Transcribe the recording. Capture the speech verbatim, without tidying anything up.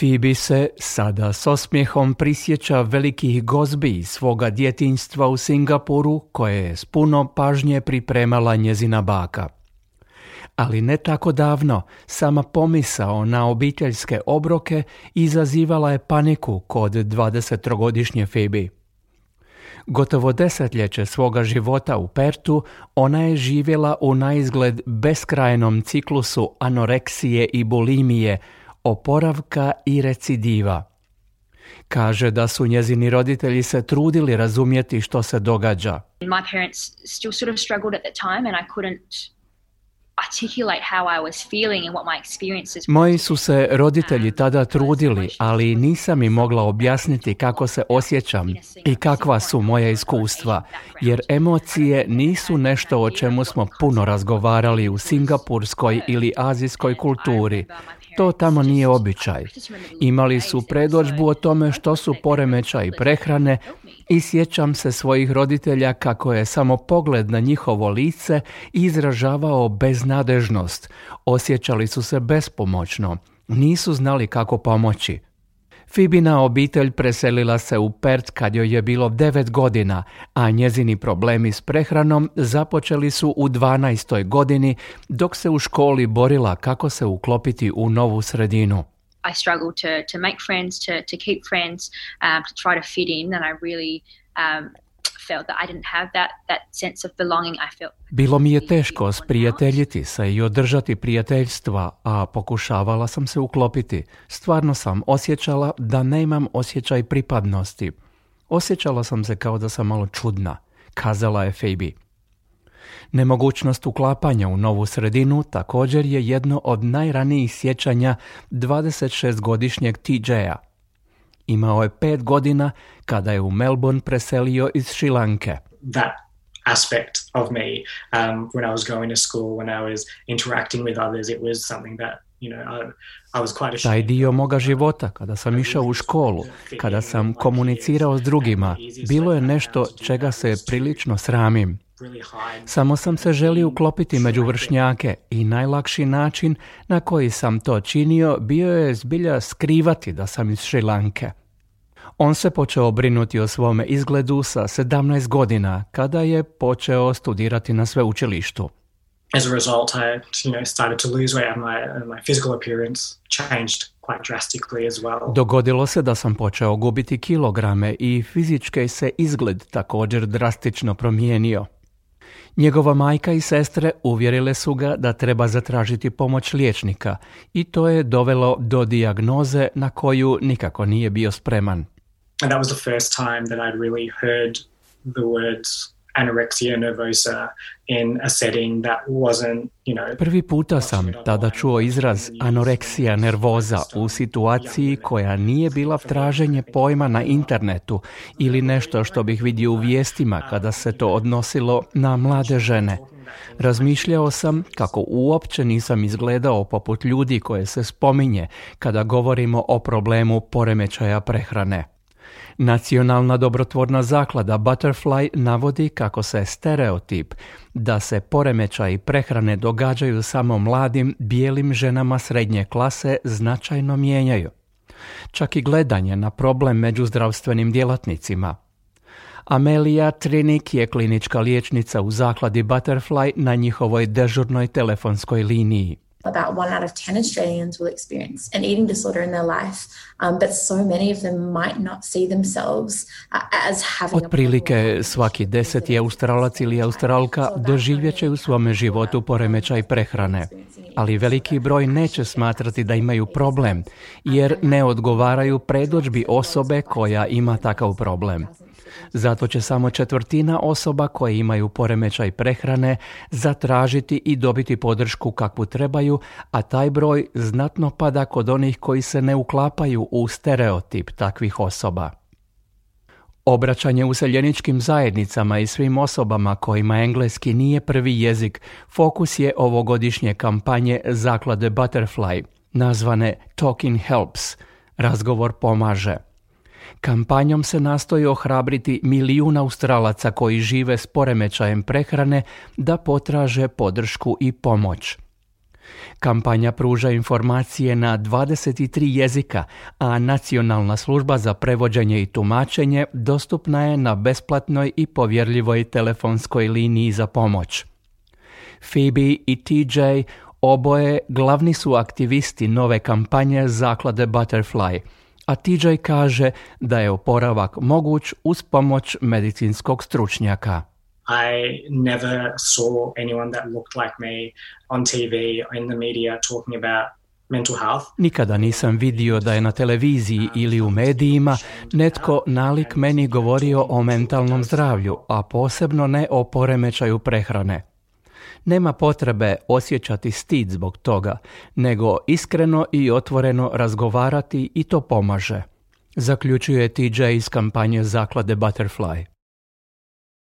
Phoebe se sada s osmijehom prisjeća velikih gozbi svoga djetinjstva u Singapuru koje je s puno pažnje pripremala njezina baka. Ali ne tako davno, sama pomisao na obiteljske obroke izazivala je paniku kod dvadesettrogodišnje Phoebe. Gotovo desetljeće svoga života u Pertu ona je živjela u naizgled beskrajnom ciklusu anoreksije i bulimije, oporavka i recidiva. Kaže da su njezini roditelji se trudili razumjeti što se događa. My parents still sort of struggled at the time and I couldn't articulate how I was feeling and what my experiences were. Moji su se roditelji tada trudili, ali nisam im mogla objasniti kako se osjećam i kakva su moja iskustva, jer emocije nisu nešto o čemu smo puno razgovarali u singapurskoj ili azijskoj kulturi. To tamo nije običaj. Imali su predodžbu o tome što su poremećaji prehrane i sjećam se svojih roditelja kako je samo pogled na njihovo lice izražavao beznadežnost. Osjećali su se bespomoćno. Nisu znali kako pomoći. Phoebina obitelj preselila se u Pert kad joj je bilo devet godina, a njezini problemi s prehranom započeli su u dvanaestoj godini dok se u školi borila kako se uklopiti u novu sredinu. I struggled to to make friends, to to keep friends, um, to try to fit in, and I really um, felt that I didn't have that that sense of belonging. I felt Bilo mi je teško sprijateljiti se i održati prijateljstva, a pokušavala sam se uklopiti. Stvarno sam osjećala da nemam osjećaj pripadnosti. Osjećala sam se kao da sam malo čudna, kazala je Phoebe. Nemogućnost uklapanja u novu sredinu također je jedno od najranijih sjećanja dvadesetšestgodišnjeg T J-a. Imao je pet godina kada je u Melbourne preselio iz Šrilanke. That aspect of me, um, when I was going to school, when I was interacting with others, it was something that, you know, I, I was quite ashamed. Taj dio moga života, kada sam išao u školu, kada sam komunicirao s drugima, bilo je nešto čega se prilično sramim. Samo sam se želio uklopiti među vršnjake i najlakši način na koji sam to činio bio je zbilja skrivati da sam iz Šrilanke. On se počeo brinuti o svome izgledu sa sedamnaest godina kada je počeo studirati na sveučilištu. As a result, I, you know, started to lose weight and my, and my physical appearance changed quite drastically as well. Dogodilo se da sam počeo gubiti kilograme i fizički se izgled također drastično promijenio. Njegova majka i sestre uvjerile su ga da treba zatražiti pomoć liječnika i to je dovelo do dijagnoze na koju nikako nije bio spreman. And that was the first time that I'd really heard the words anorexia nervosa in a setting that wasn't, you know... Prvi puta sam tada čuo izraz anoreksija nervoza u situaciji koja nije bila traženje pojma na internetu ili nešto što bih vidio u vijestima kada se to odnosilo na mlade žene. Razmišljao sam kako uopće nisam izgledao poput ljudi koje se spominje kada govorimo o problemu poremećaja prehrane. Nacionalna dobrotvorna zaklada Butterfly navodi kako se stereotip da se poremećaji prehrane događaju samo mladim bijelim ženama srednje klase značajno mijenjaju. Čak i gledanje na problem među zdravstvenim djelatnicima. Amelia Trinik je klinička liječnica u zakladi Butterfly na njihovoj dežurnoj telefonskoj liniji. About one out of ten Australians will experience an eating disorder in their life, um, but so many of them might not see themselves uh, as having... Otprilike svaki deseti Australac ili Australka doživjet će u svome životu poremećaj prehrane, ali veliki broj neće smatrati da imaju problem, jer ne odgovaraju predodžbi osobe koja ima takav problem. Zato će samo četvrtina osoba koje imaju poremećaj prehrane zatražiti i dobiti podršku kakvu trebaju, a taj broj znatno pada kod onih koji se ne uklapaju u stereotip takvih osoba. Obraćanje useljeničkim zajednicama i svim osobama kojima engleski nije prvi jezik fokus je ovogodišnje kampanje zaklade Butterfly, nazvane Talking Helps, razgovor pomaže. Kampanjom se nastoji ohrabriti milijun Australaca koji žive s poremećajem prehrane da potraže podršku i pomoć. Kampanja pruža informacije na dvadeset tri jezika, a Nacionalna služba za prevođenje i tumačenje dostupna je na besplatnoj i povjerljivoj telefonskoj liniji za pomoć. Phoebe i T J oboje glavni su aktivisti nove kampanje zaklade Butterfly, a T J kaže da je oporavak moguć uz pomoć medicinskog stručnjaka. I never saw anyone that looked like me on T V or in the media talking about mental health. Nikada nisam vidio da je na televiziji ili u medijima netko nalik meni govorio o mentalnom zdravlju, a posebno ne o poremećaju prehrane. Nema potrebe osjećati stid zbog toga, nego iskreno i otvoreno razgovarati i to pomaže, zaključuje T J iz kampanje zaklade Butterfly.